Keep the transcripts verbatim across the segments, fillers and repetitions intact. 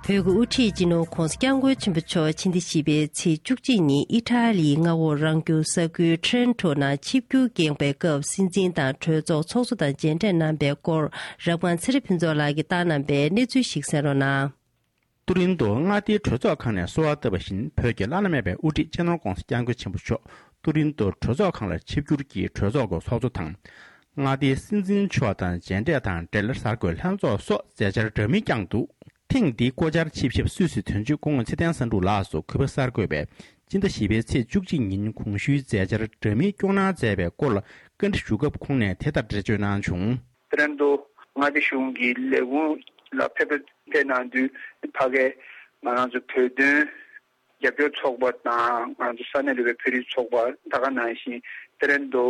བོད་ཀྱི་དབུ་ཁྲིད་སྤྱི་ནོར་༧གོང་ས་༧སྐྱབས་མགོན་ཆེན་པོ་མཆོག་ཕྱི་ཟླ་བཞི་པའི་ཚེས་བཅུ་གཅིག་ཉིན་ཨི་ཊ་ལིའི་མངའ་འོག་རང་སྐྱོང་ས་ཁུལ་ཊི་རེན་ཊོ་ནང་ཆིབས་བསྒྱུར་བསྐྱངས་པའི་སྐབས། སྲིད་འཛིན་དང་གྲོས་ཚོགས་ཚོགས་གཙོ་དང་མཇལ་འཕྲད་གནང་པའི་སྐོར། རབ་སྒང་ཚེ་རིང་ཕུན་ཚོགས་ལགས་ཀྱིས་བཏང་གནང་པའི་གནས་ཚུལ་ཞིག་གསན་རོགས་གནང་། ཏུ་རིན་ཏོ་མངའ་སྡེའི་གྲོས་ཚོགས་ཁང་ནས་གསོལ་བ་བཏབ་པ་བཞིན། བོད་ཀྱི་བླ་ན་མེད་པའི་དབུ་ཁྲིད་སྤྱི་ནོར་༧གོང་ས་༧སྐྱབས་མགོན་ཆེན་པོ་མཆོག་ཏུ་རིན་ཏོ་གྲོས་ཚོགས་ཁང་ལ་ཆིབས་བསྒྱུར་གྱིས་གྲོས་ཚོགས་ཀྱི་ཚོགས་གཙོ་དང་། མངའ་སྡེའི་སྲིད་འཛིན་མཆོག་དང་མཇལ་འཕྲད་དང་འབྲེལ། གསར་འགོད་ལྷན་ཚོགས་སོགས་མཛད་འཆར་འདྲ་མིན་བསྐྱངས་འདུག། ཐེངས་འདིའི་སྐོར་ཆར་ཆིབས་ཞབས་སུད་སི་དོན་གཅོད་སྐུ་ངོ་ཚེ་བརྟན་བསམ་གྲུབ་ལགས་སུ་གུས་པ་གསར་འགོད་པས་སྤྱི་ཟླ་བཞི་པའི་ཚེས་བཅུ་གཅིག་ཉིན་གོང་ཞུས་མཛད་འཆར་འདྲ་མིན་སྐྱོང་གནང་མཛད་པའི་སྐོར་ལ་བཀའ་འདྲི་ཞུ་སྐབས། ཁོང་ནས་དེ་ལྟར་འགྲེལ་བརྗོད་གནང་བྱུང་། ཏུ་རན་ཏོ་མངའ་སྡེ་གཞུང་གི་ལས་ཁུངས་ལ་ཕེབས་ཕེབས་གནང་དུས། ཕ་གའི་ང་རང་ཚོ་བོད་དོན་རྒྱབ་སྐྱོར་ཚོགས་པ་དང་། ང་ཚོ་ས་གནས་རིག་པའི་བོད་རིགས་ཚོགས་པ། ད་ག་ནང་བཞིན་ཏུ་རན་ཏོ་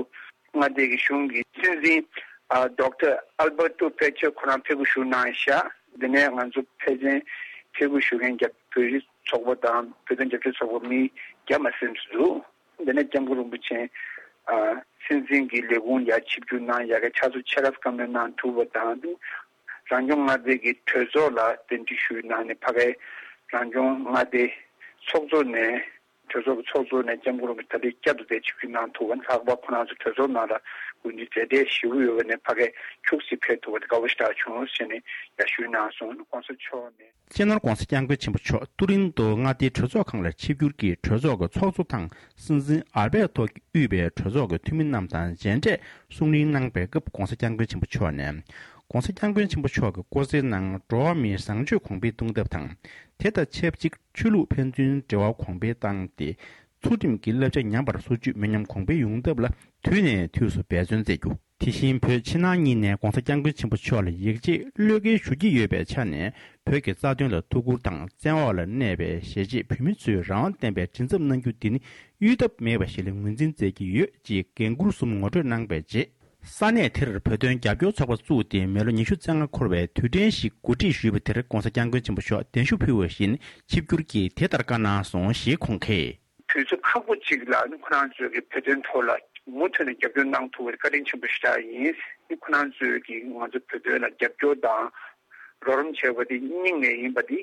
མངའ་སྡེ་གི་གཞུང་གི་སྲིད་འཛིན་ཨ་ཌོག་ཊར་ཨལ་བར་ཏོ་པེ་ཆེ་ཁོ་རང་ཕེབས་སྒོ་ཞུ་གནང་ཤག། དེ་ནས་ང་ཚོ་ཕལ་ཆེར་ཕེབས་སྒོ་ཞུ་མཁན་རྒྱ་བོད་རིགས་ཚོགས་པ་དང་བོད་དོན་རྒྱབ་སྐྱོར་ཚོགས་པ་མི་བརྒྱ་མ་ཟིན་ཙམ་འདུག། དེ་ནས་སྐྱབས་མགོན་རིན་པོ་ཆེ་ཨ་སྲིད་འཛིན་གྱི་ལས་ཁུངས་ཡར་ཆིབས་བསྒྱུར་གནང་ཡ་གི་ཕྱག་སྲོལ་ཆེ་རབས་བཀའ་མོལ་གནང་ཐུབ་པ་དང་། རང་སྐྱོང་མངའ་སྡེ་གི་གྲོས་ཚོགས་ལ་གདན་འདྲེན་ཞུས་གནང་ནས། ཕ་གའི་རང་སྐྱོང་མངའ་སྡེ་ཚོགས་གཙོ་ནས། གྲོས་ཚོགས་ཀྱི་ཚོགས་གཙོ་ནས་སྐྱབས་མགོན་རིན་པོ་ཆེ་ད་ལྟའི་བསྐྱར་དུ་དེ་ཆིབས་བསྒྱུར་གནང་ཐུབ་པ་ནི། ལྷག་པར་ཁོ་རང་ཚོ་གྲོས་ཚོགས་ནང་ལ་དགོས་འདུན་མཛད་བྲེལ་ཞེ་པོ་ཡོད་པ་ནས། ཕ་གའི་ཁྱུག་ཙམ་ཕེབས་ཐུབ་པ་དེ་དགའ་པོ་ཞེ་དྲག་བྱུང་ཟེར་ནས་ཡར་ཞུས་གནང་སོང་། གོང་ས་མཆོག་ནས། སྤྱི་ནོར་༧གོང་ས་༧སྐྱབས་མགོན་ཆེན་པོ་མཆོག་ཏུ་རིན་ཏོ་མངའ་སྡེའི་གྲོས་ཚོགས་ཁང་ལ་ཆིབས་བསྒྱུར་གྱིས་གྲོས་ཚོགས་ཀྱི་ཚོགས་གཙོ་དང་། སྲིད་འཛིན་ཨལ་བེ་ཏོ་གིས་དབུས་པའི་གྲོས་ཚོགས་ཀྱི་འཐུས་མི་རྣམས་དང་མཇལ་འཕྲད་གསུང་གླེང་གནང་པའི་སྐབས། ༧གོང་ས་༧སྐྱབས་མགོན་ཆེན་པོ་མཆོག་ནས། ༧གོང་ས་༧སྐྱབས་མགོན་ཆེན་པོ་མཆོག་གིས་སྐུ་ཚེའི་ནང་འགྲོ་བ་མིའི་བཟང་སྤྱོད་གོང་འཕེལ་གཏོང་ཐབས་དང་། དེ་དང་ཆབས་ཅིག་ཆོས་ལུགས་ཕན་ཚུན་འབྲེལ་བ་གོང་འཕེལ་བཏང་སྟེ། ཚུལ་ཁྲིམས་ཀྱི་བསླབ་བྱ་ཉམས་པར་སོར་ཆུད་མི་ཉམས་གོང་འཕེལ་ཡོང་ཐབས་ལ་དུས་ནས་དུས་སུ་འབད་བརྩོན་མཛད་རྒྱུ། དེ་བཞིན་བོད་ཕྱི་ནང་གཉིས་ནས་༧གོང་ས་༧སྐྱབས་མགོན་ཆེན་པོ་མཆོག་ལ་ཡིད་ཆེས་བློས་འགེལ་ཞུ་གི་ཡོད་པའི་ཆ་ནས། བོད་ཀྱི་རྩ་དོན་ལ་ཐུགས་ཁུར་དང་། བཙན་འོག་ལ་གནས་པའི་གཞིས་བྱེས་བོད་མི་ཚོས་རང་དབང་ལྡན་པའི་མགྲིན་ཚབ་གནང་རྒྱུ་འདི་ནི་གཡོལ་ཐབས་མེད་པ་ཞིག་ལ་ངོས་འཛིན་མཛད་ཀྱི་ཡོད་ཅེས་འགན་འཁུར་གསུམ་ངོ་སྤྲོད་གནང་པའི་རྗེས། ས་གནས་དེར་བོད་དོན་རྒྱབ་སྐྱོར་ཚོགས་པ་བཙུགས་ཏེ། མི་ལོ་ཉི་ཤུ་རྩ་ལྔ་འཁོར་བའི་དུས་དྲན་ཞིག་གོ་སྒྲིག་ཞུས་པ་དེར། ༧གོང་ས་༧སྐྱབས་མགོན་ཆེན་པོ་མཆོག་གདན་ཞུ་ཕུལ་བ་བཞིན་ཆིབས་བསྒྱུར་གྱིས་དེ་ལྟར་བཀའ་གནང་སོང་ཞེས་ཁོང་གིས། དུས་ཚོད་ཁག་པོ་ཅིག་ལ་ནི་ཁོ་རང་ཚོས་ཀྱི་བོད་དོན་ཐོག་ལ་མུ་མཐུད་ནས་རྒྱབ་སྐྱོར་གནང་ཐུབ་པར་བཀའ་དྲིན་ཆེན་པོ་ཞེ་དྲག་ཡིན། ཁོ་རང་ཚོས་ཀྱི་ང་ཚོ་བོད་དོན་ལ་རྒྱབ་སྐྱོར་དང་རོགས་རམ་བྱས་པ་དེ་སྙིང་ནས་ཡིན་པ་དེ་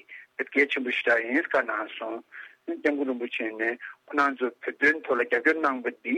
གལ་ཆེན་པོ་ཞེ་དྲག་ཡིན་བཀའ་གནང་སོང་། སྐྱབས་མགོན་རིན་པོ་ཆེ་ནས་ཁོ་རང་ཚོ་བོད་དོན་ཐོག་ལ་རྒྱབ་སྐྱོར་གནང་པ་འདི་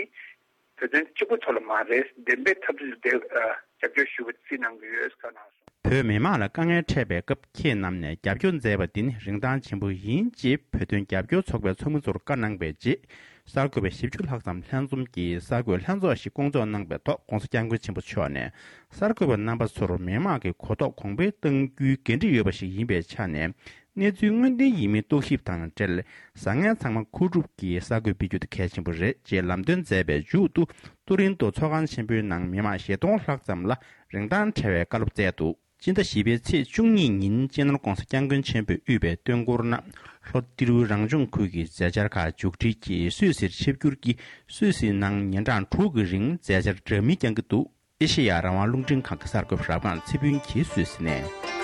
བོད་དོན་གཅིག་པུ་ཐོག་ལ་མ་རེད། བདེན་པའི་འཐབ་རྩོད་དེ་རྒྱབ་སྐྱོར་ཞུ་བ་རྩིས་གནང་གི་ཡོད་བཀའ་གནང་སོང་། བོད་མི་མང་ལ་དཀའ་ངལ་འཕྲད་པའི་སྐབས་ཁྱེད་རྣམས་ནས་རྒྱབ་སྐྱོར་མཛད་པ་འདི་ནི་རིན་ཐང་ཆེན་པོ་ཡིན་ཅེས་བོད་དོན་རྒྱབ་སྐྱོར་ཚོགས་པའི་ཚོགས་མི་ཚོར་བཀའ་གནང་པའི་རྗེས། གསར་འགོད་པ་བཞི་བཅུ་ལྷག་ཙམ་ལྷན་འཛོམས་ཀྱིས་གསར་འགོད་ལྷན་ཚོགས་ཤིག་བསྐོང་ཚོགས་གནང་པའི་ཐོག ༧གོང་ས་༧སྐྱབས་མགོན་ཆེན་པོ་མཆོག་ནས། གསར་འགོད་པ་རྣམ་པ་ཚོར་མི་མང་གི་གོ་རྟོགས་གོང་འཕེལ་གཏང་རྒྱུའི་འགན་འཁྲི་ཡོད་པ་ཞིག་ཡིན་པའི་ཆ་ནས། གནས་ཚུལ་དངོས་བདེན་ཡིན་མིན་རྟོག་ཞིབ་དང་འབྲེལ། བཟང་ངན་ཚང་མ་མཁོ་སྒྲུབ་ཀྱིས་གསར་འགོད་སྤེལ་རྒྱུ་དེ་གལ་ཆེན་པོ་རེད་ཅེས་ལམ་སྟོན་མཛད་པའི་མཇུག་ཏུ། ཏུ་རིན་ཏོ་ཚོགས་ཁང་ཆེན་པོའི་ནང་མི་མང་བཞི་སྟོང་ལྷག་ཙམ་ལ་རིན་ཐང་བྲལ་བའི་བཀའ་སློབ་སྩལ་འདུག། སྤྱི་ཟླ་བཞི་པའི་ཚེས་བཅུ་གཉིས་ཉིན་སྤྱི་ནོར་༧གོང་ས་༧སྐྱབས་མགོན་ཆེན་པོས་དབུས་པའི་སྟོན་འཁོར་ནང་ལྷོ་ཏི་རུ་རང་སྐྱོང་ཁུལ་གྱི་མཛད་འཆར་ཁག་མཇུག་སྒྲིལ་གྱིས་སུད་སིར་ཆིབས་བསྒྱུར་གྱིས། སུད་སིའི་ནང་ཉིན་གྲངས་དྲུག་གི་རིང་མཛད་འཆར་འདྲ་མིན་བསྐྱང་གི་འདུག། ཨེ་ཤེ་ཡ་རང་དབང་རླུང་འཕྲིན་ཁང་གི་གསར་འགོད་པ་རབ་སྒང་ཚེ་ཕུན་གྱིས་སུད་སི་ནས།